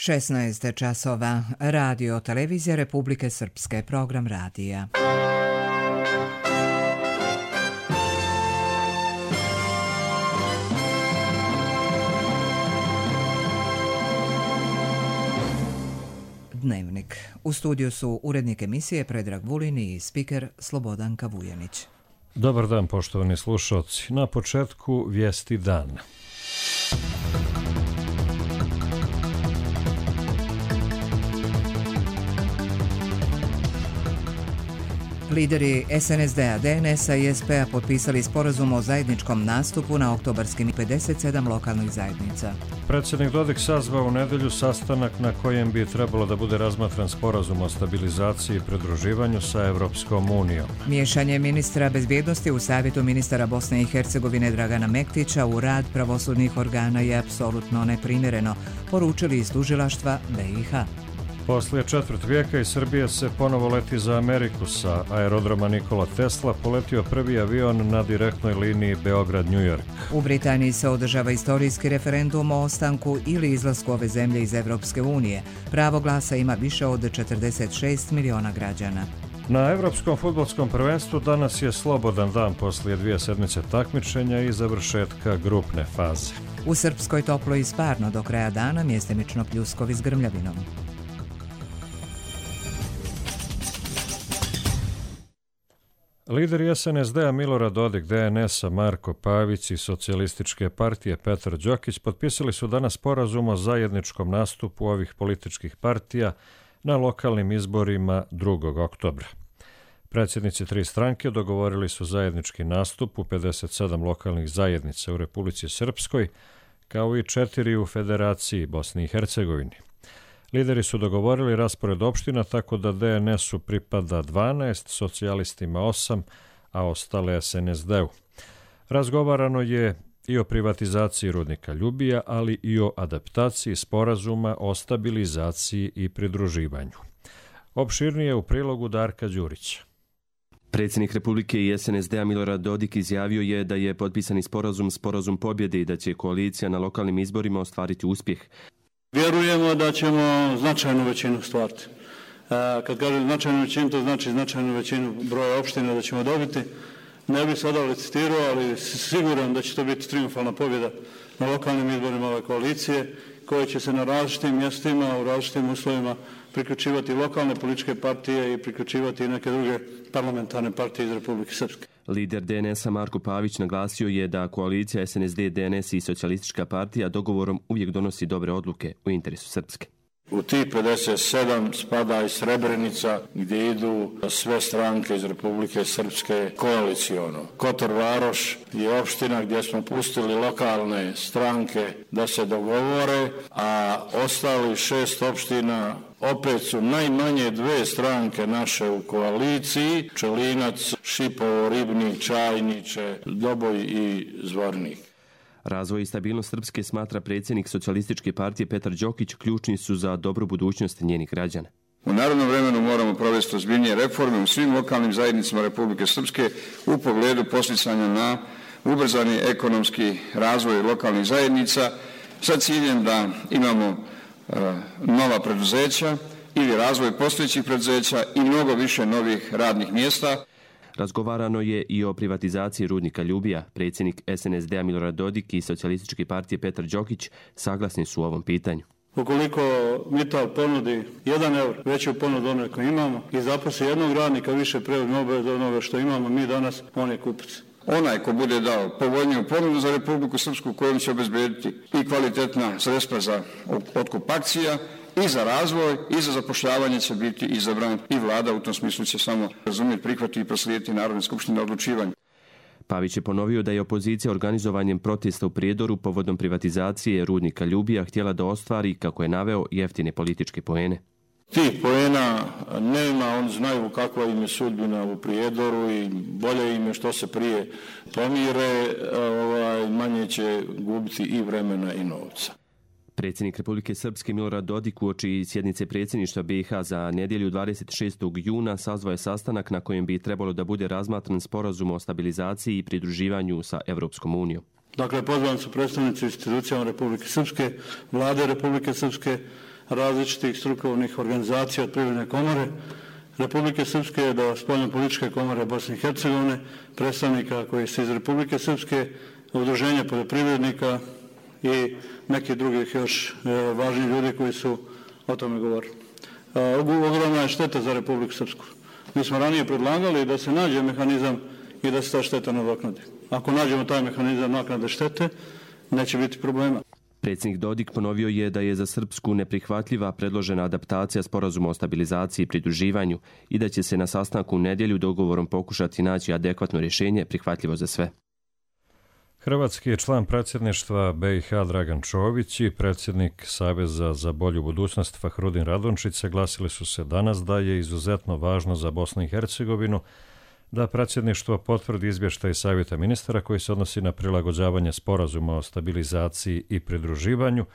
16 časova. Radio Televizija Republike Srpske. Program radija. Dnevnik. U studiju su urednik emisije Predrag Vulin i spiker Slobodanka Vujanić. Dobar dan, poštovani slušalci. Na početku vijesti dana. Lideri SNSD-a, DNS-a i SP-a potpisali sporazum o zajedničkom nastupu na oktobarskim 57 lokalnih zajednica. Predsjednik Dodik sazvao u nedelju sastanak na kojem bi trebalo da bude razmatran sporazum o stabilizaciji i pridruživanju sa Evropskom unijom. Miješanje ministra bezbjednosti u Savjetu ministara Bosne i Hercegovine Dragana Mektića u rad pravosudnih organa je apsolutno neprimjereno, poručili iz tužilaštva BiH. Poslije četvrt vijeka iz Srbije se ponovo leti za Ameriku. Sa aerodroma Nikola Tesla poletio prvi avion na direktnoj liniji Beograd-New York. U Britaniji se održava istorijski referendum o ostanku ili izlasku ove zemlje iz Evropske unije. Pravo glasa ima više od 46 miliona građana. Na Evropskom fudbalskom prvenstvu danas je slobodan dan poslije 2 sedmice takmičenja i završetka grupne faze. U Srpskoj toplo i sparno do kraja dana, mjestimično pljuskovi s grmljavinom. Lideri SNSD-a Milorad Dodik, DNS-a Marko Pavić i Socijalističke partije Petar Đokić potpisali su danas sporazum o zajedničkom nastupu ovih političkih partija na lokalnim izborima 2. oktobra. Predsjednici tri stranke dogovorili su zajednički nastup u 57 lokalnih zajednica u Republici Srpskoj, kao i 4 u Federaciji Bosni i Hercegovini. Lideri su dogovorili raspored opština tako da DNS-u pripada 12, socijalistima 8, a ostale SNSD-u. Razgovarano je i o privatizaciji rudnika Ljubija, ali i o adaptaciji sporazuma o stabilizaciji i pridruživanju. Opširnije u prilogu Darka Đurića. Predsjednik Republike i SNSD-a Milorad Dodik izjavio je da je potpisani sporazum pobjede i da će koalicija na lokalnim izborima ostvariti uspjeh. Vjerujemo da ćemo značajnu većinu stvariti. Kad kažem značajnu većinu, to znači značajnu većinu broja opština da ćemo dobiti. Ne bih sada licitirao, ali siguran da će to biti triumfalna pobjeda na lokalnim izborima ove koalicije, koje će se na različitim mjestima, u različitim uslovima priključivati lokalne političke partije i priključivati i neke druge parlamentarne partije iz Republike Srpske. Lider DNS-a Marko Pavić naglasio je da koalicija SNSD, DNS i Socijalistička partija dogovorom uvijek donosi dobre odluke u interesu Srpske. U tih 57 spada i Srebrenica gdje idu sve stranke iz Republike Srpske koalicijono. Kotor Varoš je opština gdje smo pustili lokalne stranke da se dogovore, a ostali 6 opština opet su najmanje 2 stranke naše u koaliciji, Čelinac, Šipovo, Ribnik, Čajniče, Doboj i Zvornik. Razvoj i stabilnost Srpske, smatra predsjednik Socijalističke partije Petar Đokić, ključni su za dobru budućnost njenih građana. U narednom vremenu moramo provesti ozbiljnije reforme u svim lokalnim zajednicama Republike Srpske u pogledu podsticanja na ubrzani ekonomski razvoj lokalnih zajednica sa ciljem da imamo nova preduzeća ili razvoj postojećih preduzeća i mnogo više novih radnih mjesta. Razgovarano je i o privatizaciji rudnika Ljubija. Predsjednik SNSD-a Milorad Dodik i Socijalističke partije Petar Đokić saglasni su u ovom pitanju. Ukoliko Mittal ponudi 1 eur, veću ponudu ono koje imamo, i zaposli jednog radnika, više preuzme obaveze od onoga što imamo mi danas, on je kupac. Onaj ko bude dao povoljniju ponudu za Republiku Srpsku, kojom će obezbediti i kvalitetna sredstva za otkup akcija, i za razvoj, i za zapošljavanje će biti izabran i vlada u tom smislu će samo razumjeti, prihvatiti i proslijediti Narodne skupštine odlučivanje. Pavić je ponovio da je opozicija organizovanjem protesta u Prijedoru povodom privatizacije rudnika Ljubija htjela da ostvari, kako je naveo, jeftine političke poene. Tih poena nema, oni znaju kakva im je sudbina u Prijedoru i bolje im je što se prije pomire, manje će gubiti i vremena i novca. Predsjednik Republike Srpske Milorad Dodik uoči sjednice predsjedništva BiH za nedjelju 26. juna sazvao je sastanak na kojem bi trebalo da bude razmatran sporazum o stabilizaciji i pridruživanju sa Evropskom unijom. Dakle, pozvani su predstavnici institucijama Republike Srpske, vlade Republike Srpske, različitih strukovnih organizacija od Privredne komore Republike Srpske do Spoljnopolitičke komore Bosne i Hercegovine, predstavnika koji su iz Republike Srpske, udruženja poljoprivrednika i nekih drugih još važnih ljudi koji su o tome govorili. Ogromna je šteta za Republiku Srpsku. Mi smo ranije predlagali da se nađe mehanizam i da se ta šteta nadoknadi. Ako nađemo taj mehanizam naknade štete, neće biti problema. Predsjednik Dodik ponovio je da je za Srpsku neprihvatljiva predložena adaptacija sporazuma o stabilizaciji i pridruživanju i da će se na sastanku u nedjelju dogovorom pokušati naći adekvatno rješenje prihvatljivo za sve. Hrvatski je član predsjedništva BiH Dragan Čović i predsjednik Saveza za bolju budućnost Fahrudin Radončić saglasili su se danas da je izuzetno važno za Bosnu i Hercegovinu da predsjedništvo potvrdi izvještaj Savjeta ministara koji se odnosi na prilagođavanje sporazuma o stabilizaciji i pridruživanju,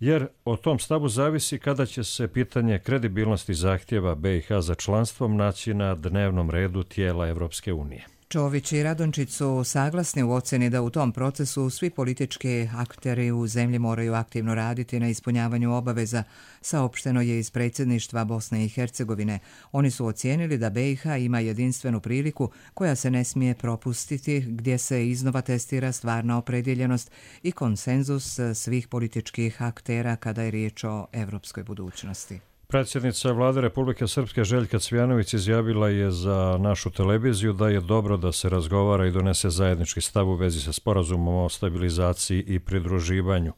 jer o tom stavu zavisi kada će se pitanje kredibilnosti zahtjeva BiH za članstvom naći na dnevnom redu tijela Evropske unije. Čović i Radončić su saglasni u ocjeni da u tom procesu svi politički akteri u zemlji moraju aktivno raditi na ispunjavanju obaveza, saopšteno je iz predsjedništva Bosne i Hercegovine. Oni su ocijenili da BiH ima jedinstvenu priliku koja se ne smije propustiti, gdje se iznova testira stvarna opredjeljenost i konsenzus svih političkih aktera kada je riječ o evropskoj budućnosti. Predsjednica Vlade Republike Srpske Željka Cvijanović izjavila je za našu televiziju da je dobro da se razgovara i donese zajednički stav u vezi sa sporazumom o stabilizaciji i pridruživanju.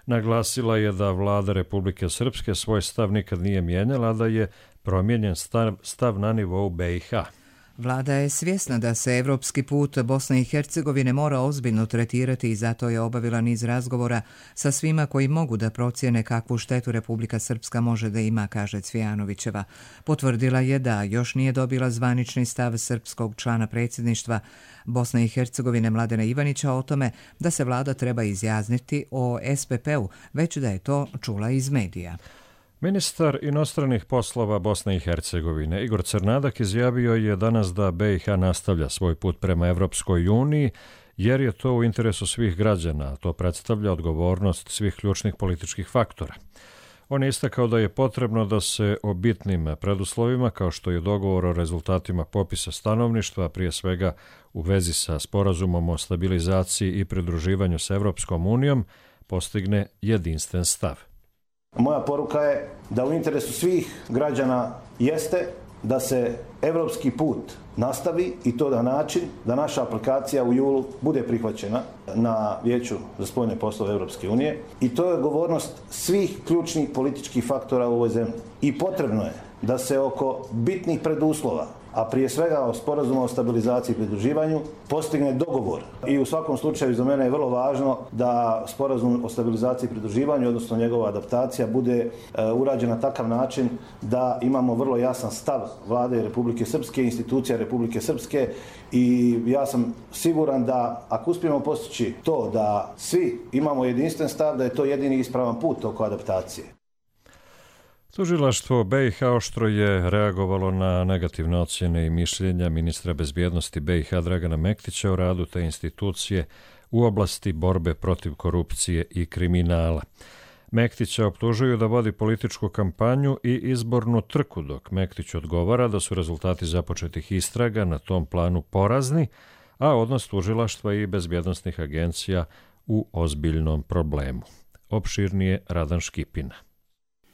Naglasila je da Vlada Republike Srpske svoj stav nikad nije mijenjala, da je promijenjen stav na nivou BiH. Vlada je svjesna da se evropski put Bosne i Hercegovine mora ozbiljno tretirati i zato je obavila niz razgovora sa svima koji mogu da procijene kakvu štetu Republika Srpska može da ima, kaže Cvijanovićeva. Potvrdila je da još nije dobila zvanični stav srpskog člana predsjedništva Bosne i Hercegovine Mladena Ivanića o tome da se vlada treba izjasniti o SPP-u, već da je to čula iz medija. Ministar inostranih poslova Bosne i Hercegovine Igor Crnadak izjavio je danas da BiH nastavlja svoj put prema Evropskoj uniji jer je to u interesu svih građana, a to predstavlja odgovornost svih ključnih političkih faktora. On je istakao da je potrebno da se o bitnim preduslovima, kao što je dogovor o rezultatima popisa stanovništva, prije svega u vezi sa sporazumom o stabilizaciji i pridruživanju s Evropskom unijom, postigne jedinstven stav. Moja poruka je da u interesu svih građana jeste da se evropski put nastavi i to na način da naša aplikacija u julu bude prihvaćena na Vijeću za spoljne poslove Evropske unije i to je odgovornost svih ključnih političkih faktora u ovoj zemlji. I potrebno je da se oko bitnih preduslova, a prije svega o sporazumu o stabilizaciji i pridruživanju, postigne dogovor. I u svakom slučaju za mene je vrlo važno da sporazum o stabilizaciji i pridruživanju, odnosno njegova adaptacija, bude urađena na takav način da imamo vrlo jasan stav Vlade Republike Srpske, institucija Republike Srpske i ja sam siguran da ako uspijemo postići to da svi imamo jedinstven stav, da je to jedini ispravan put oko adaptacije. Tužilaštvo BiH oštro je reagovalo na negativne ocjene i mišljenja ministra bezbjednosti BiH Dragana Mektića o radu te institucije u oblasti borbe protiv korupcije i kriminala. Mektića optužuju da vodi političku kampanju i izbornu trku, dok Mektić odgovara da su rezultati započetih istraga na tom planu porazni, a odnos tužilaštva i bezbjednosnih agencija u ozbiljnom problemu. Opširnije Radan Škipina.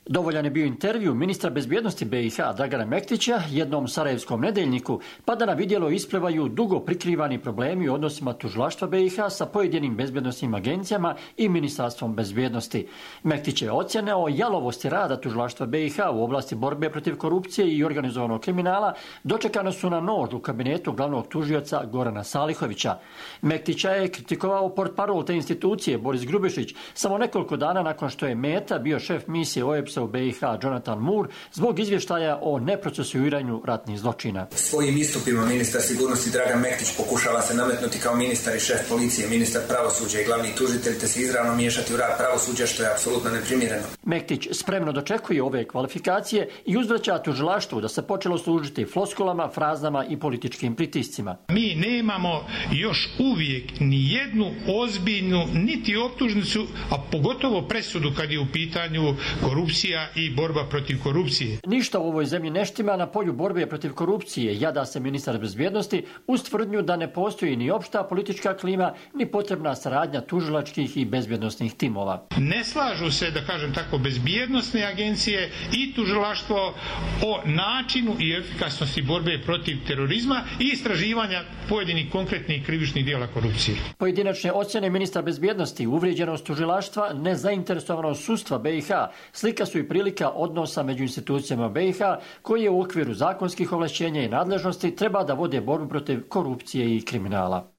Dovoljan je bio intervju ministra bezbjednosti BiH Dragana Mektića jednom sarajevskom nedeljniku, pa da na vidjelo isplivaju dugo prikrivani problemi u odnosima tužilaštva BiH sa pojedinim bezbjednosnim agencijama i ministarstvom bezbjednosti. Mektić je ocjenio jalovosti rada tužilaštva BiH u oblasti borbe protiv korupcije i organizovanog kriminala dočekano su na nož u kabinetu glavnog tužioca Gorana Salihovića. Mektića je kritikovao portparol te institucije Boris Grubišić samo nekoliko dana nakon što je meta bio šef misije OEBS u BiH Jonathan Moore zbog izvještaja o neprocesuiranju ratnih zločina. Svojim istupima ministar sigurnosti Dragan Mektić pokušava se nametnuti kao ministar i šef policije, ministar pravosuđa i glavni tužitelj te se izravno miješati u rad pravosuđa što je apsolutno neprimjereno. Mektić spremno dočekuje ove kvalifikacije i uzvraća tužilaštvu da se počelo služiti floskulama, frazama i političkim pritiscima. Mi nemamo još uvijek ni jednu ozbiljnu niti optužnicu, a pogotovo presudu kad je u pitanju korupcija prevencija i borba protiv korupcije. Ništa u ovoj zemlji ne štima na polju borbe protiv korupcije, jada se ministar bezbjednosti uz tvrdnju da ne postoji ni opšta politička klima, ni potrebna saradnja tužilačkih i bezbjednosnih timova. Ne slažu se, da kažem tako, bezbjednosne agencije i tužilaštvo o načinu i efikasnosti borbe protiv terorizma i istraživanja pojedinih konkretnih krivičnih dijela korupcije. Pojedinačne ocjene ministra bezbjednosti, uvrijeđenost tužilaštva, nezainteresovanost sudstva BiH, slika su i prilika odnosa među institucijama BiH koje u okviru zakonskih ovlašćenja i nadležnosti treba da vode borbu protiv korupcije i kriminala.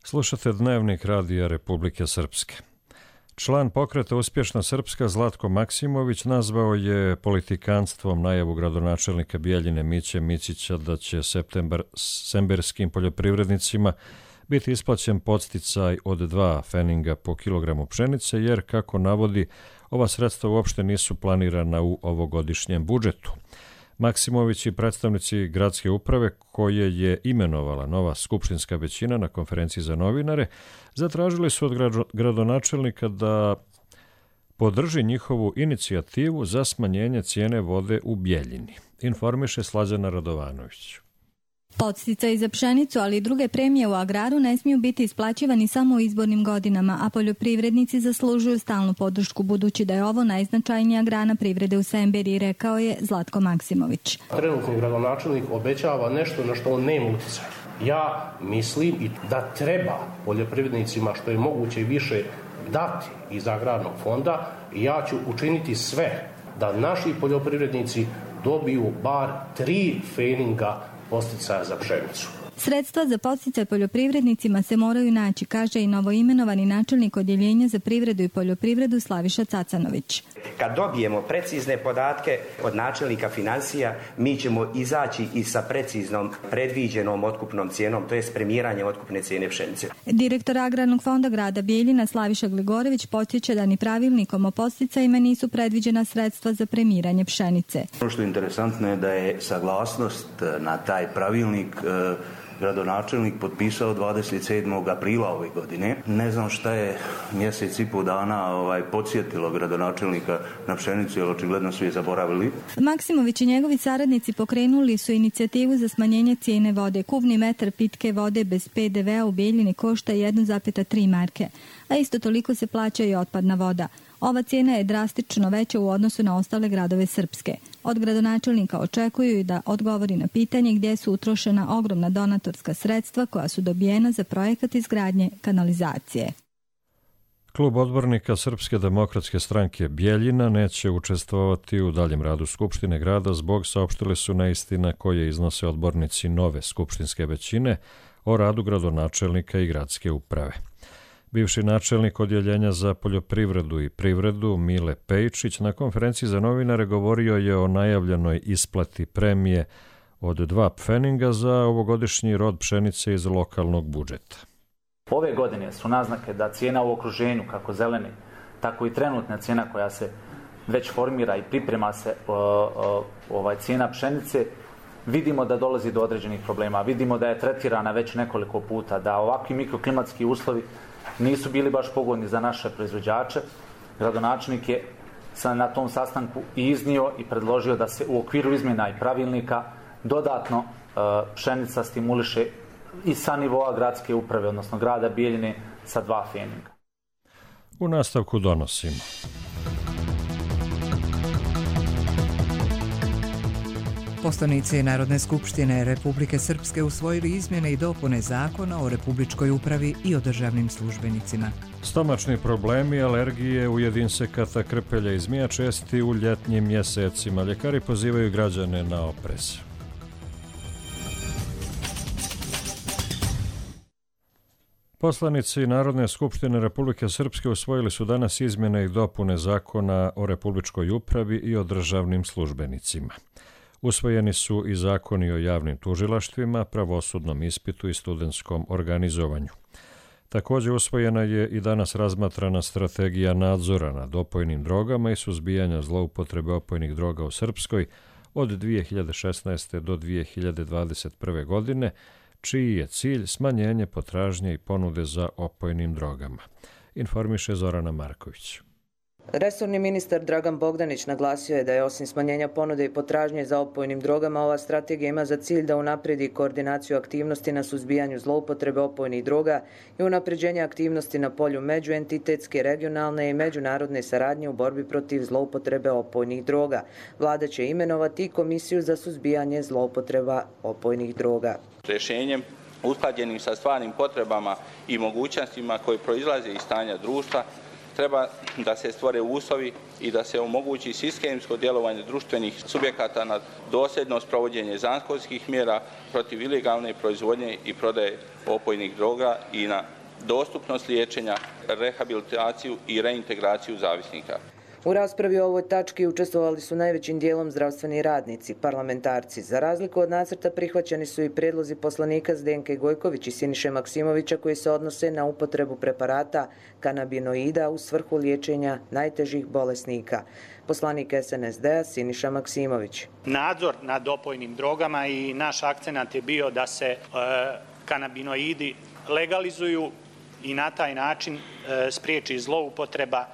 Slušate Dnevnik Radija Republike Srpske. Član pokreta Uspješna Srpska Zlatko Maksimović nazvao je politikanstvom najavu gradonačelnika Bijeljine Miće Mićića da će septemberskim poljoprivrednicima biti isplaćen podsticaj od 2 feninga po kilogramu pšenice, jer, kako navodi, ova sredstva uopšte nisu planirana u ovogodišnjem budžetu. Maksimović i predstavnici gradske uprave, koje je imenovala nova skupštinska većina na konferenciji za novinare, zatražili su od gradonačelnika da podrži njihovu inicijativu za smanjenje cijene vode u Bijeljini, informiše Slađana Radovanović. Podsticaji za pšenicu, ali i druge premije u agraru ne smiju biti isplaćivani samo u izbornim godinama, a poljoprivrednici zaslužuju stalnu podršku, budući da je ovo najznačajnija grana privrede u Semberiji, rekao je Zlatko Maksimović. Trenutni gradonačelnik obećava nešto na što on nema utjecaja. Ja mislim i da treba poljoprivrednicima što je moguće više dati iz agrarnog fonda i ja ću učiniti sve da naši poljoprivrednici dobiju bar 3 feninga podsticaja za pšenicu. Sredstva za podsticaj poljoprivrednicima se moraju naći, kaže i novoimenovani načelnik odjeljenja za privredu i poljoprivredu Slaviša Cacanović. Kad dobijemo precizne podatke od načelnika financija, mi ćemo izaći i sa preciznom predviđenom otkupnom cijenom, to je premiranjem otkupne cijene pšenice. Direktor Agrarnog fonda grada Bijeljina Slaviša Gligorević podsjeća da ni pravilnikom o podsticajima nisu predviđena sredstva za premiranje pšenice. Ono što je interesantno je da je saglasnost na taj pravilnik gradonačelnik potpisao 27. aprila ove godine. Ne znam šta je mjesec i pol dana podsjetilo gradonačelnika na pšenicu, jer očigledno su je zaboravili. Maksimović i njegovi saradnici pokrenuli su inicijativu za smanjenje cijene vode. Kubni metar pitke vode bez PDV-a u Bijeljini košta 1,3 marke, a isto toliko se plaća i otpadna voda. Ova cijena je drastično veća u odnosu na ostale gradove Srpske. Od gradonačelnika očekuju i da odgovori na pitanje gdje su utrošena ogromna donatorska sredstva koja su dobijena za projekat izgradnje kanalizacije. Klub odbornika Srpske demokratske stranke Bijeljina neće učestvovati u daljem radu Skupštine grada zbog, saopštili su, neistina koje iznose odbornici nove skupštinske većine o radu gradonačelnika i gradske uprave. Bivši načelnik odjeljenja za poljoprivredu i privredu Mile Pejčić na konferenciji za novinare govorio je o najavljenoj isplati premije od 2 pfeninga za ovogodišnji rod pšenice iz lokalnog budžeta. Ove godine su naznake da cijena u okruženju, kako zelene, tako i trenutna cijena koja se već formira i priprema se cijena pšenice, vidimo da dolazi do određenih problema. Vidimo da je tretirana već nekoliko puta, da ovakvi mikroklimatski uslovi nisu bili baš pogodni za naše proizvođače. Gradonačelnik je na tom sastanku i iznio i predložio da se u okviru izmjena i pravilnika dodatno pšenica stimuliše i sa nivoa gradske uprave, odnosno grada Bijeljine, sa 2 feninga. U nastavku donosimo. Poslanici Narodne skupštine Republike Srpske usvojili izmjene i dopune Zakona o republičkoj upravi i o državnim službenicima. Stomačni problemi, alergije, ujed insekata, krpelja i zmija česti u ljetnjim mjesecima. Ljekari pozivaju građane na oprez. Poslanici Narodne skupštine Republike Srpske usvojili su danas izmjene i dopune Zakona o republičkoj upravi i o državnim službenicima. Usvojeni su i zakoni o javnim tužilaštvima, pravosudnom ispitu i studentskom organizovanju. Također usvojena je i danas razmatrana strategija nadzora nad opojnim drogama i suzbijanja zloupotrebe opojnih droga u Srpskoj od 2016. do 2021. godine, čiji je cilj smanjenje potražnje i ponude za opojnim drogama, informiše Zorana Marković. Resorni ministar Dragan Bogdanić naglasio je da je osim smanjenja ponude i potražnje za opojnim drogama, ova strategija ima za cilj da unapredi koordinaciju aktivnosti na suzbijanju zloupotrebe opojnih droga i unapređenje aktivnosti na polju međuentitetske, regionalne i međunarodne saradnje u borbi protiv zloupotrebe opojnih droga. Vlada će imenovati komisiju za suzbijanje zloupotreba opojnih droga. Rješenjem usklađenim sa stvarnim potrebama i mogućnostima koje proizlaze iz stanja društva treba da se stvore uslovi i da se omogući sistemsko djelovanje društvenih subjekata na dosljedno sprovođenje zakonskih mjera protiv ilegalne proizvodnje i prodaje opojnih droga i na dostupnost liječenja, rehabilitaciju i reintegraciju zavisnika. U raspravi o ovoj tački učestvovali su najvećim dijelom zdravstveni radnici, parlamentarci. Za razliku od nacrta prihvaćeni su i prijedlozi poslanika Zdenke Gojković i Siniše Maksimovića koji se odnose na upotrebu preparata kanabinoida u svrhu liječenja najtežih bolesnika. Poslanik SNSD-a Siniša Maksimović. Nadzor nad opojnim drogama i naš akcenat je bio da se kanabinoidi legalizuju i na taj način spriječi zloupotreba.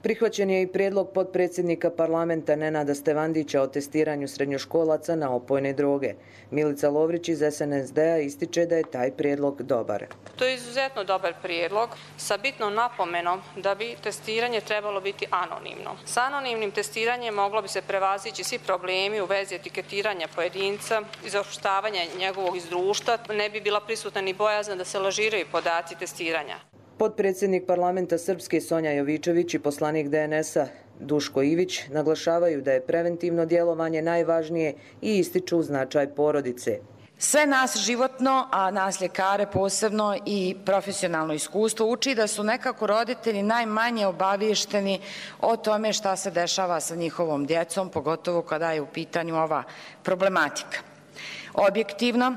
Prihvaćen je i prijedlog potpredsjednika parlamenta Nenada Stevandića o testiranju srednjoškolaca na opojne droge. Milica Lovrić iz SNSD-a ističe da je taj prijedlog dobar. To je izuzetno dobar prijedlog sa bitnom napomenom da bi testiranje trebalo biti anonimno. Sa anonimnim testiranjem moglo bi se prevazići svi problemi u vezi etiketiranja pojedinca, izopštavanja njegovog iz društva, ne bi bila prisutna ni bojazna da se lažiraju podaci testiranja. Potpredsjednik parlamenta Srpske Sonja Jovičević i poslanik DNS-a Duško Ivić naglašavaju da je preventivno djelovanje najvažnije i ističu značaj porodice. Sve nas životno, a nas ljekare posebno i profesionalno iskustvo uči da su nekako roditelji najmanje obaviješteni o tome šta se dešava sa njihovom djecom, pogotovo kada je u pitanju ova problematika. Objektivno,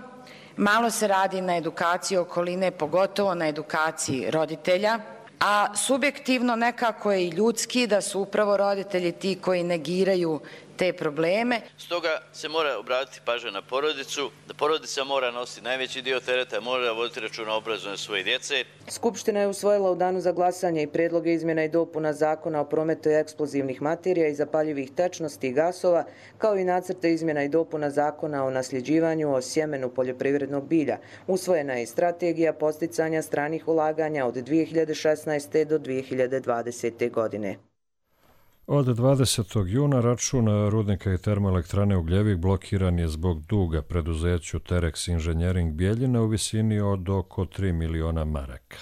malo se radi na edukaciji okoline, pogotovo na edukaciji roditelja, a subjektivno nekako je i ljudski da su upravo roditelji ti koji negiraju te probleme. Stoga se mora obratiti pažnja na porodicu, da porodica mora nositi najveći dio tereta, mora voditi računa o obrazovanju svoje djece. Skupština je usvojila u danu za glasanje i predloge izmjena i dopuna Zakona o prometu eksplozivnih materija i zapaljivih tečnosti i gasova, kao i nacrte izmjena i dopuna Zakona o nasljeđivanju o sjemenu poljoprivrednog bilja. Usvojena je i strategija podsticanja stranih ulaganja od 2016. do 2020. godine. Od 20. juna račun rudnika i termoelektrane Ugljevik blokiran je zbog duga preduzeću Terex Inženjering Bijeljina u visini od oko 3 miliona maraka.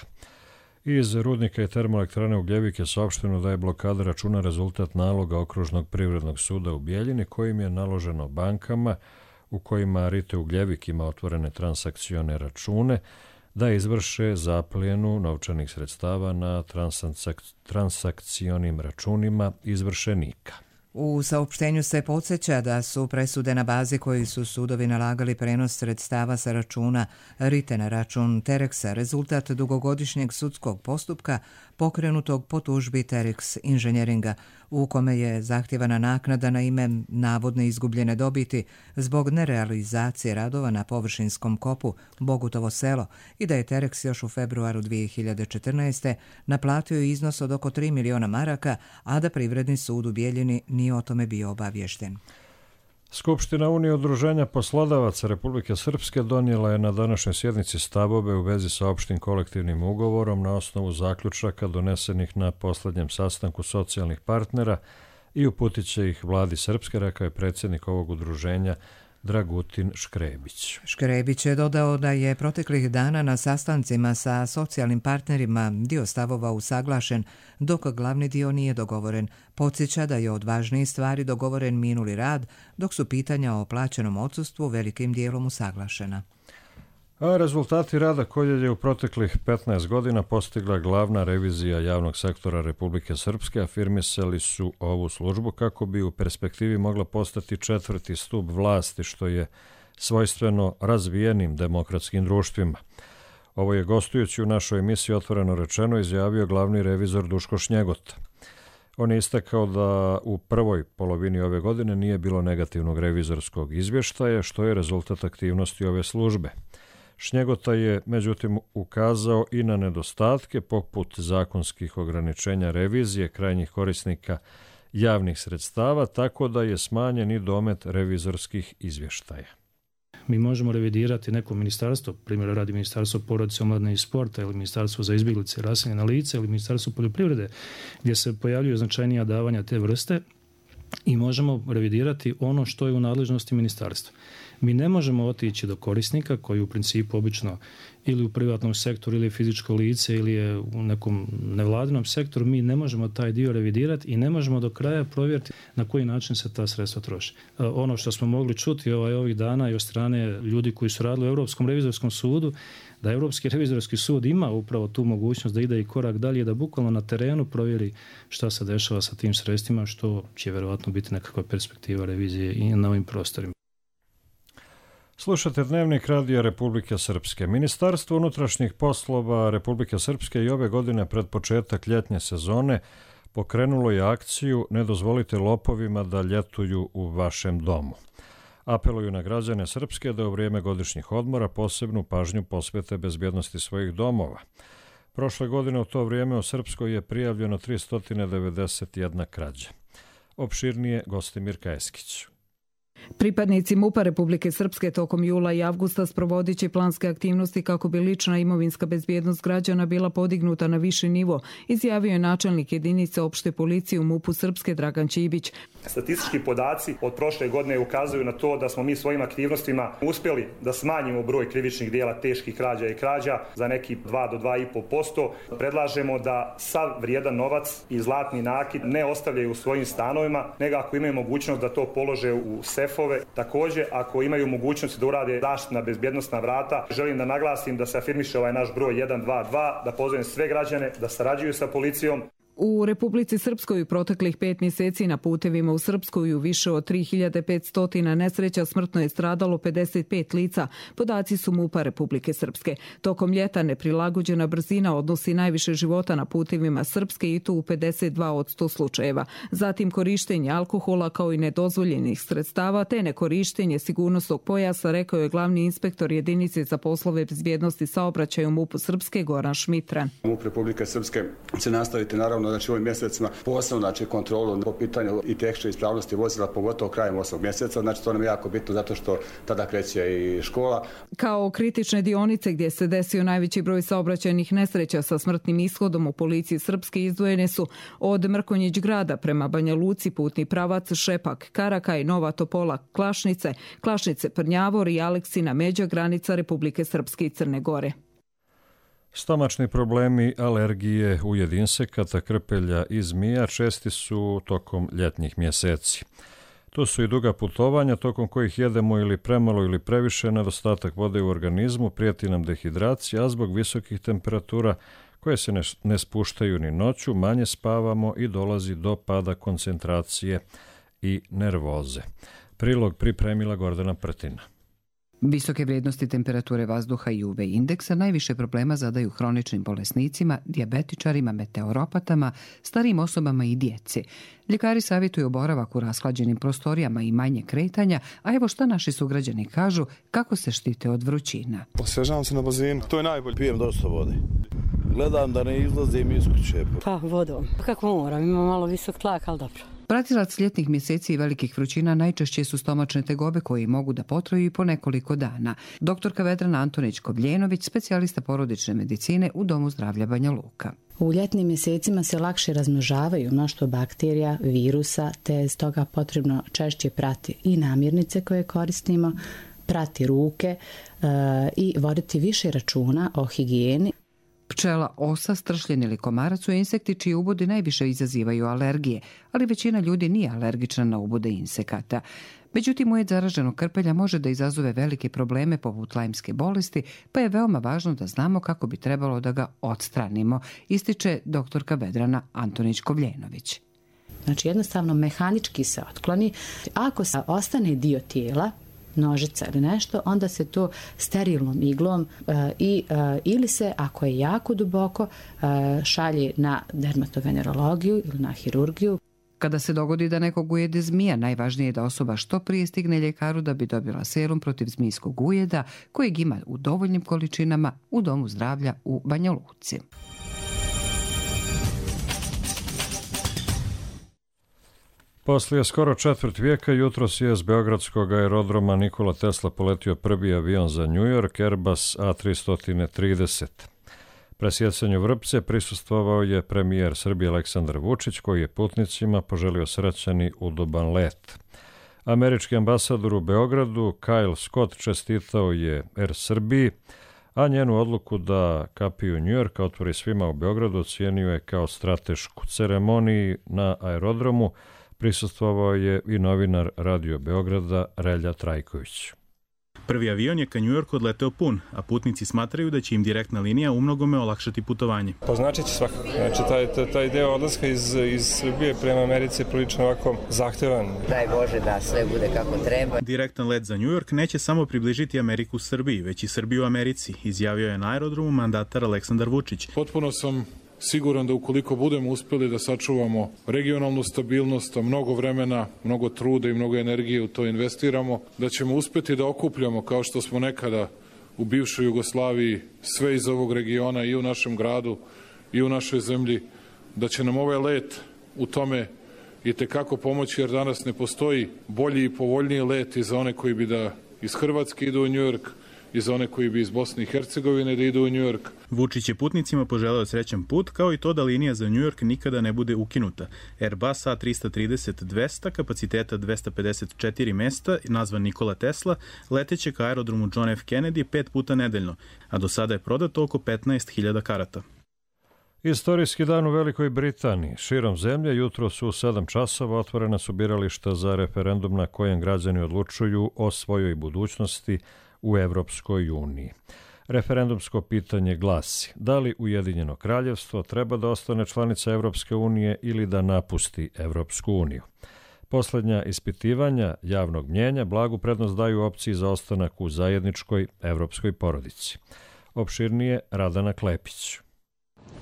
Iz rudnika i termoelektrane Ugljevik je saopšteno da je blokada računa rezultat naloga Okružnog privrednog suda u Bijeljini kojim je naloženo bankama u kojima Rite Ugljevik ima otvorene transakcione račune da izvrše zaplijenu novčanih sredstava na transakcionim računima izvršenika. U saopštenju se podsjeća da su presude na bazi koji su sudovi nalagali prenos sredstava sa računa Rite na račun Terexa rezultat dugogodišnjeg sudskog postupka pokrenutog po tužbi Terex Inženjeringa, u kome je zahtjevana naknada na ime navodne izgubljene dobiti zbog nerealizacije radova na površinskom kopu Bogutovo selo i da je Terex još u februaru 2014. naplatio iznos od oko 3 miliona maraka, a da Privredni sud u Bijeljini nije o tome bio obaviješten. Skupština Unije udruženja poslodavaca Republike Srpske donijela je na današnjoj sjednici stavove u vezi sa opštim kolektivnim ugovorom na osnovu zaključaka donesenih na posljednjem sastanku socijalnih partnera i uputit će ih vladi Srpske, rekao je predsjednik ovog udruženja Dragutin Škrebić. Škrebić je dodao da je proteklih dana na sastancima sa socijalnim partnerima dio stavova usaglašen, dok glavni dio nije dogovoren. Podsjeća da je od važnijih stvari dogovoren minuli rad, dok su pitanja o plaćenom odsustvu velikim dijelom usaglašena. A rezultati rada koje je u proteklih 15 godina postigla glavna revizija javnog sektora Republike Srpske afirmisali su ovu službu kako bi u perspektivi mogla postati četvrti stup vlasti, što je svojstveno razvijenim demokratskim društvima. Ovo je gostujući u našoj emisiji Otvoreno rečeno izjavio glavni revizor Duško Šnjegota. On je istakao da u prvoj polovini ove godine nije bilo negativnog revizorskog izvještaja, što je rezultat aktivnosti ove službe. Šnjegota je međutim ukazao i na nedostatke poput zakonskih ograničenja revizije krajnjih korisnika javnih sredstava, tako da je smanjen i domet revizorskih izvještaja. Mi možemo revidirati neko ministarstvo, primjer radi Ministarstvo porodice, omladine i sporta ili Ministarstvo za izbjeglice i raseljena lica ili Ministarstvo poljoprivrede, gdje se pojavljuju značajnija davanja te vrste i možemo revidirati ono što je u nadležnosti ministarstva. Mi ne možemo otići do korisnika koji u principu obično ili u privatnom sektoru ili fizičko lice ili je u nekom nevladinom sektoru, mi ne možemo taj dio revidirati i ne možemo do kraja provjeriti na koji način se ta sredstva troše. Ono što smo mogli čuti ovih dana i od strane ljudi koji su radili u Europskom revizorskom sudu, da Europski revizorski sud ima upravo tu mogućnost da ide i korak dalje, da bukvalno na terenu provjeri šta se dešava sa tim sredstvima, što će vjerojatno biti nekakva perspektiva revizije i na ovim prostorima. Slušate Dnevnik Radija Republike Srpske. Ministarstvo unutrašnjih poslova Republike Srpske i ove godine pred početak ljetnje sezone pokrenulo je akciju Ne dozvolite lopovima da ljetuju u vašem domu. Apeluju na građane Srpske da u vrijeme godišnjih odmora posebnu pažnju posvete bezbjednosti svojih domova. Prošle godine u to vrijeme u Srpskoj je prijavljeno 391 krađa. Opširnije Gostimir Kajeskić. Pripadnici MUP-a Republike Srpske tokom jula i avgusta sprovodit će planske aktivnosti kako bi lična imovinska bezbjednost građana bila podignuta na viši nivo, izjavio je načelnik jedinice opšte policije u MUP-u Srpske Dragan Čibić. Statistički podaci od prošle godine ukazuju na to da smo mi svojim aktivnostima uspjeli da smanjimo broj krivičnih dijela teških krađa i krađa za neki 2 do 2,5%. Predlažemo da sav vrijedan novac i zlatni nakit ne ostavljaju u svojim stanovima, nego ako imaju mogućnost da to polože u sefove. Također, ako imaju mogućnost da urade zaštitna bezbjednosna vrata, želim da naglasim da se afirmiše ovaj naš broj 122, da pozovem sve građane da sarađuju sa policijom. U Republici Srpskoj u proteklih 5 mjeseci na putevima u Srpskoj u više od 3500 nesreća smrtno je stradalo 55 lica, podaci su MUP-a Republike Srpske. Tokom ljeta neprilagođena brzina odnosi najviše života na putevima Srpske i to u 52 od 100 slučajeva. Zatim korištenje alkohola kao i nedozvoljenih sredstava te nekorištenje sigurnosnog pojasa, rekao je glavni inspektor jedinice za poslove bezbjednosti saobraćaja u MUP-u Srpske Goran Šmitran. MUP Republike Srpske će nastaviti naravno znači ovim mjesecima posebno kontrolu po pitanju i tehničke ispravnosti vozila, pogotovo krajem 8. mjeseca. Znači to nam je jako bitno zato što tada kreće i škola. Kao kritične dionice gdje se desio najveći broj saobraćajnih nesreća sa smrtnim ishodom u policiji Srpske izdvojene su od Mrkonjić grada prema Banja Luci putni pravac Šepak, Karakaj, Nova Topola, Klašnice, Prnjavor i Aleksina, međa granica Republike Srpske i Crne Gore. Stomačni problemi, alergije, ujed insekata, krpelja i zmija česti su tokom ljetnjih mjeseci. Tu su i duga putovanja tokom kojih jedemo ili premalo ili previše, nedostatak vode u organizmu, prijeti nam dehidracija, a zbog visokih temperatura koje se ne spuštaju ni noću, manje spavamo i dolazi do pada koncentracije i nervoze. Prilog pripremila Gordana Prtina. Visoke vrijednosti temperature vazduha i UV indeksa najviše problema zadaju hroničnim bolesnicima, dijabetičarima, meteoropatama, starijim osobama i djeci. Ljekari savjetuju boravak u rashlađenim prostorijama i manje kretanja, a evo šta naši sugrađani kažu kako se štite od vrućina. Osvježavam se na bazenu, to je najbolje. Pijem dosta vode. Gledam da ne izlazim iz kuće. Pa vodom. Kako moram, imam malo visok tlak, ali dobro. Pratilac ljetnih mjeseci i velikih vrućina najčešće su stomačne tegobe koje mogu da potraju i po nekoliko dana. Doktorka Vedrana Antonić-Kobljenović, specijalista porodične medicine u Domu zdravlja Banja Luka. U ljetnim mjesecima se lakše razmnožavaju mnoštvo bakterija, virusa, te je stoga potrebno češće prati i namirnice koje koristimo, prati ruke i voditi više računa o higijeni. Pčela, osa, stršljen ili komarac su insekti čiji ubodi najviše izazivaju alergije, ali većina ljudi nije alergična na ubude insekata. Međutim, ujed zaraženog krpelja može da izazove velike probleme poput lajmske bolesti, pa je veoma važno da znamo kako bi trebalo da ga odstranimo, ističe doktorka Vedrana Antonić-Kovljenović. Znači jednostavno mehanički se otkloni. Ako se ostane dio tijela, nožica ili nešto, onda se to sterilnom iglom ili se, ako je jako duboko, šalje na dermatovenerologiju ili na hirurgiju. Kada se dogodi da nekog ujede zmija, najvažnije je da osoba što prije stigne ljekaru da bi dobila serum protiv zmijskog ujeda, kojeg ima u dovoljnim količinama u Domu zdravlja u Banja Luci. Poslije skoro četvrt vijeka jutros je s beogradskog aerodroma Nikola Tesla poletio prvi avion za New York, Airbus A330. Presjecanju vrpce prisustvovao je premijer Srbije Aleksandar Vučić, koji je putnicima poželio srećan i udoban let. Američki ambasador u Beogradu Kyle Scott čestitao je Air Srbiji, a njenu odluku da kapiju New Yorka otvori svima u Beogradu ocijenio je kao stratešku. Ceremoniji na aerodromu prisustvovao je i novinar Radio Beograda Relja Trajković. Prvi avion je ka New Yorku odleteo pun, a putnici smatraju da će im direktna linija umnogome olakšati putovanje. To znači će svakako. Znači, taj deo odlaska iz Srbije prema Americi je prilično ovako zahtevan. Daj Bože da sve bude kako treba. Direktan let za New York neće samo približiti Ameriku Srbiji, već i Srbiju Americi, izjavio je na aerodromu mandatar Aleksandar Vučić. Potpuno sam siguran da ukoliko budemo uspjeli da sačuvamo regionalnu stabilnost, a mnogo vremena, mnogo truda i mnogo energije u to investiramo, da ćemo uspjeti da okupljamo, kao što smo nekada u bivšoj Jugoslaviji, sve iz ovog regiona i u našem gradu i u našoj zemlji, da će nam ovaj let u tome itekako pomoći, jer danas ne postoji bolji i povoljniji let i za one koji bi da iz Hrvatske idu u New York, i za one koji bi iz Bosne i Hercegovine da idu u New York. Vučić je putnicima poželeo srećan put, kao i to da linija za New York nikada ne bude ukinuta. Airbus A330-200, kapaciteta 254 mesta, nazvan Nikola Tesla, leteće ka aerodromu John F. Kennedy 5 puta nedeljno, a do sada je prodato oko 15.000 karata. Istorijski dan u Velikoj Britaniji. Širom zemlje jutro su u 7 časova otvorena su birališta za referendum na kojem građani odlučuju o svojoj budućnosti u Evropskoj uniji. Referendumsko pitanje glasi: da li Ujedinjeno kraljevstvo treba da ostane članica Evropske unije ili da napusti Evropsku uniju? Posljednja ispitivanja javnog mnjenja blagu prednost daju opciji za ostanak u zajedničkoj evropskoj porodici. Opširnije Radana Klepić.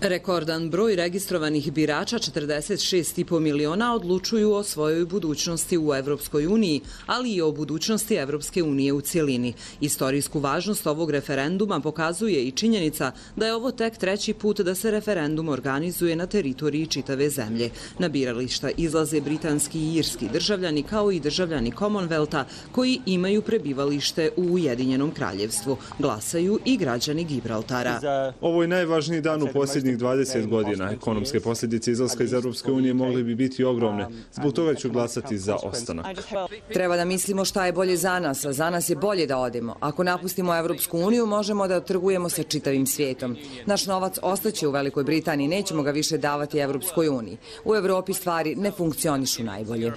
Rekordan broj registrovanih birača, 46,5 miliona, odlučuju o svojoj budućnosti u Evropskoj uniji, ali i o budućnosti Evropske unije u cjelini. Istorijsku važnost ovog referenduma pokazuje i činjenica da je ovo tek treći put da se referendum organizuje na teritoriji čitave zemlje. Na birališta izlaze britanski i irski državljani, kao i državljani Commonwealtha koji imaju prebivalište u Ujedinjenom kraljevstvu. Glasaju i građani Gibraltara. Ovo je najvažniji dan u posljednjih 20 godina. Ekonomske posljedice izlaska iz Europske unije mogli bi biti ogromne. Zbog toga ću glasati za ostanak. Treba da mislimo šta je bolje za nas, a za nas je bolje da odemo. Ako napustimo Evropsku uniju, možemo da trgujemo sa čitavim svijetom. Naš novac ostaće u Velikoj Britaniji, nećemo ga više davati Evropskoj uniji. U Evropi stvari ne funkcionišu najbolje.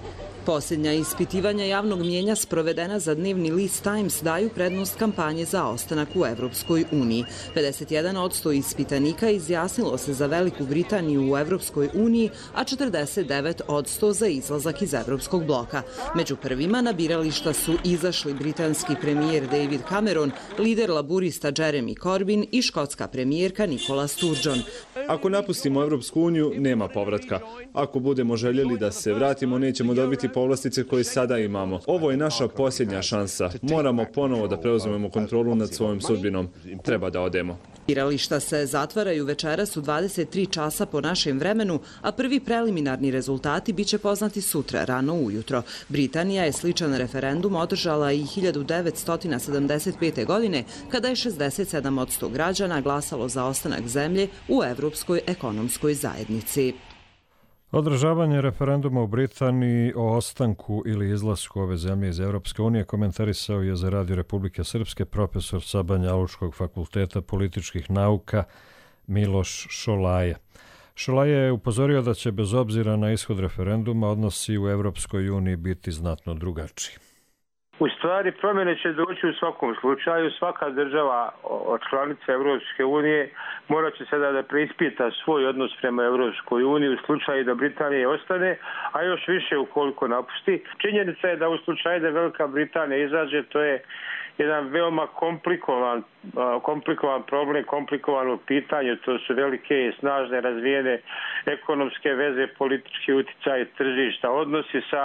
Posljednja ispitivanja javnog mnjenja sprovedena za dnevni list Times daju prednost kampanje za ostanak u Evropskoj uniji. 51% ispitanika izjasnilo se za Veliku Britaniju u Evropskoj uniji, a 49% za izlazak iz Evropskog bloka. Među prvima na birališta su izašli britanski premijer David Cameron, lider laburista Jeremy Corbyn i škotska premijerka Nicola Sturgeon. Ako napustimo Evropsku uniju, nema povratka. Ako budemo željeli da se vratimo, nećemo dobiti povlastice koje sada imamo. Ovo je naša posljednja šansa. Moramo ponovo da preuzmemo kontrolu nad svojom sudbinom. Treba da odemo. Birališta se zatvaraju večeras u 23 časa po našem vremenu, a prvi preliminarni rezultati biće poznati sutra, rano ujutro. Britanija je sličan referendum održala i 1975. godine, kada je 67% građana glasalo za ostanak zemlje u Evropskoj ekonomskoj zajednici. Održavanje referenduma u Britaniji o ostanku ili izlasku ove zemlje iz Evropske unije komentarisao je za Radio Republike Srpske profesor sa Banja Lučkog fakulteta političkih nauka Miloš Šolaja. Šolaja je upozorio da će bez obzira na ishod referenduma odnosi u Evropskoj uniji biti znatno drugačiji. U stvari promjene će doći u svakom slučaju. Svaka država od članica Europske unije morat će sada da preispita svoj odnos prema Europskoj uniji u slučaju da Britanija ostane, a još više ukoliko napusti. Činjenica je da u slučaju da Velika Britanija izađe, to je jedan veoma komplikovan problem, komplikovano pitanje. To su velike i snažne razvijene ekonomske veze, politički utjecaj tržišta, odnosi sa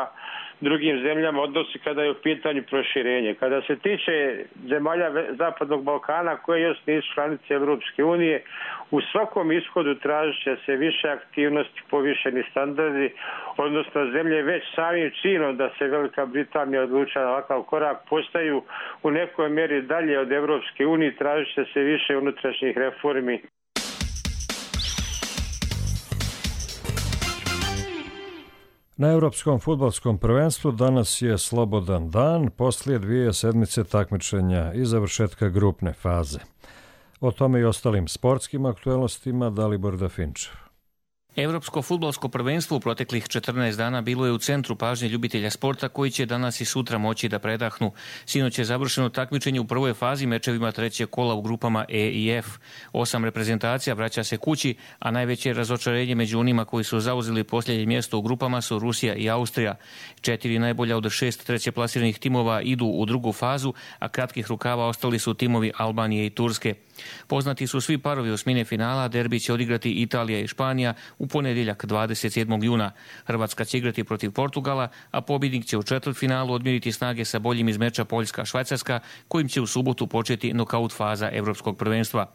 drugim zemljama, odnosi kada je u pitanju proširenje. Kada se tiče zemalja Zapadnog Balkana koje još nisu članice Europske unije, u svakom ishodu tražit će se više aktivnosti, povišeni standardi, odnosno zemlje već samim činom da se Velika Britanija odlučila na ovakav korak postaju u nekoj mjeri dalje od Europske unije, tražit će se više unutrašnjih reformi. Na Europskom fudbalskom prvenstvu danas je slobodan dan poslije 2 sedmice takmičenja i završetka grupne faze. O tome i ostalim sportskim aktualnostima Dalibor Dafinčev. Europsko fudbalsko prvenstvo u proteklih 14 dana bilo je u centru pažnje ljubitelja sporta koji će danas i sutra moći da predahnu. Sinoć je završeno takmičenje u prvoj fazi mečevima trećeg kola u grupama E i F. 8 reprezentacija vraća se kući, a najveće razočarenje među onima koji su zauzeli posljednje mjesto u grupama su Rusija i Austrija. 4 najbolja od 6 trećeplasiranih timova idu u drugu fazu, a kratkih rukava ostali su timovi Albanije i Turske. Poznati su svi parovi osmine finala, derbi će odigrati Italija i Španija u ponedjeljak 27. juna. Hrvatska će igrati protiv Portugala, a pobjednik će u četvrtfinalu odmjeriti snage sa boljim iz meča Poljska-Švajcarska, kojim će u subotu početi nokaut faza Europskog prvenstva.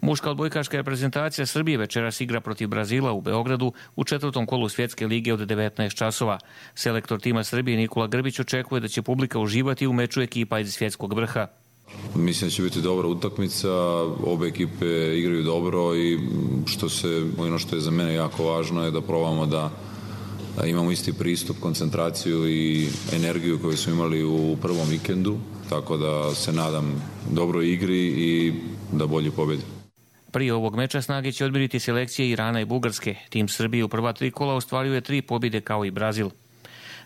Muška odbojkaška reprezentacija Srbije večeras igra protiv Brazila u Beogradu u četvrtom kolu svjetske lige od 19 časova. Selektor tima Srbije Nikola Grbić očekuje da će publika uživati u meču ekipa iz svjetskog vrha. Mislim da će biti dobra utakmica, obe ekipe igraju dobro i ono što je za mene jako važno je da probamo da imamo isti pristup, koncentraciju i energiju koju smo imali u prvom vikendu, tako da se nadam dobroj igri i da bolje pobjedi. Prije ovog meča snage će odmjeriti selekcije Irana i Bugarske. Tim Srbije u prva 3 kola ostvaruje 3 pobjede kao i Brazil.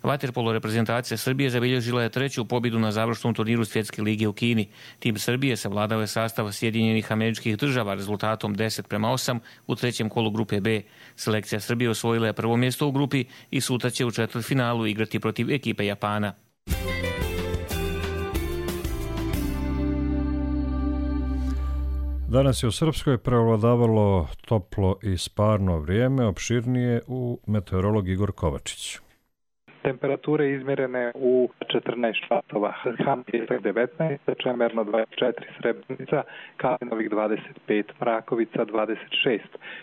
Vaterpolo reprezentacija Srbije zabilježila je 3. pobjedu na završnom turniru svjetske lige u Kini. Tim Srbije savladao je sastav Sjedinjenih Američkih Država rezultatom 10:8 u trećem kolu grupe B. Selekcija Srbije osvojila je prvo mjesto u grupi i sutra će u četvrtfinalu igrati protiv ekipe Japana. Danas je u Srpskoj prevladavalo toplo i sparno vrijeme, opširnije u meteorolog Igor Kovačić. Temperature izmjerene u 14 časova. Ham Pjesak 19, Čemerno 24, Srebrenica, Kalinovik 25, Mrakovica 26,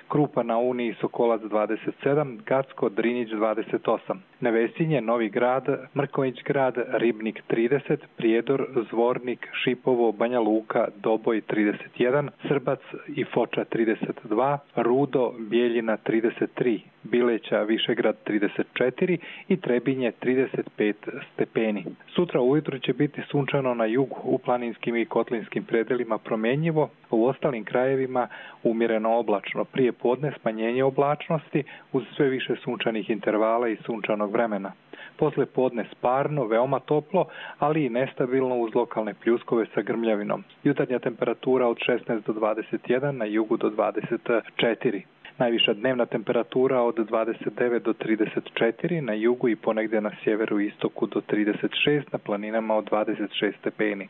Krupa na Uniji, Sokolac 27, Gacko, Drinjić 28, Nevesinje, Novi Grad, Mrković grad, Ribnik 30, Prijedor, Zvornik, Šipovo, Banja Luka, Doboj 31, Srbac i Foča 32, Rudo, Bijeljina 33, Bileća, Višegrad 34 i Trebinje 35 stepeni. Sutra ujutro će biti sunčano na jugu, u planinskim i kotlinskim predelima promjenjivo, u ostalim krajevima umjereno oblačno. Prije podne smanjenje oblačnosti uz sve više sunčanih intervala i sunčanog vremena. Posle podne sparno, veoma toplo, ali i nestabilno uz lokalne pljuskove sa grmljavinom. Jutarnja temperatura od 16 do 21, na jugu do 24. Najviša dnevna temperatura od 29 do 34, na jugu i ponegdje na sjeveru i istoku do 36, na planinama od 26 stepeni.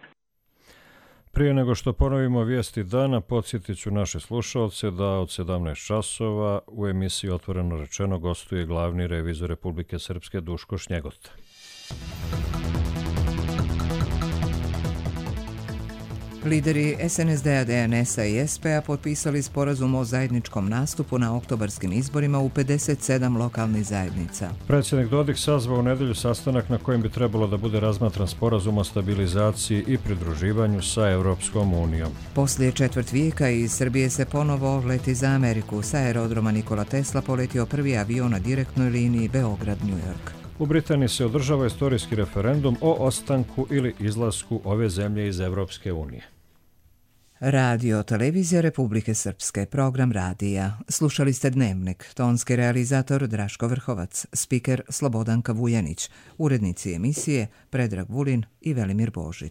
Prije nego što ponovimo vijesti dana, podsjetit ću naše slušalce da od 17 časova u emisiji Otvoreno rečeno gostuje glavni revizor Republike Srpske Duško Šnjegota. Lideri SNSD-a, DNS-a i SP-a potpisali sporazum o zajedničkom nastupu na oktobarskim izborima u 57 lokalnih zajednica. Predsjednik Dodik sazvao u nedjelju sastanak na kojem bi trebalo da bude razmatran sporazum o stabilizaciji i pridruživanju sa Europskom unijom. Poslije četvrt vijeka iz Srbije se ponovo leti za Ameriku. Sa aerodroma Nikola Tesla poletio prvi avion na direktnoj liniji Beograd-New York. U Britaniji se održava istorijski referendum o ostanku ili izlasku ove zemlje iz Europske unije. Radio Televizija Republike Srpske, program radija. Slušali ste Dnevnik, tonski realizator Draško Vrhovac, spiker Slobodanka Vujanić, urednici emisije Predrag Vulin i Velimir Božić.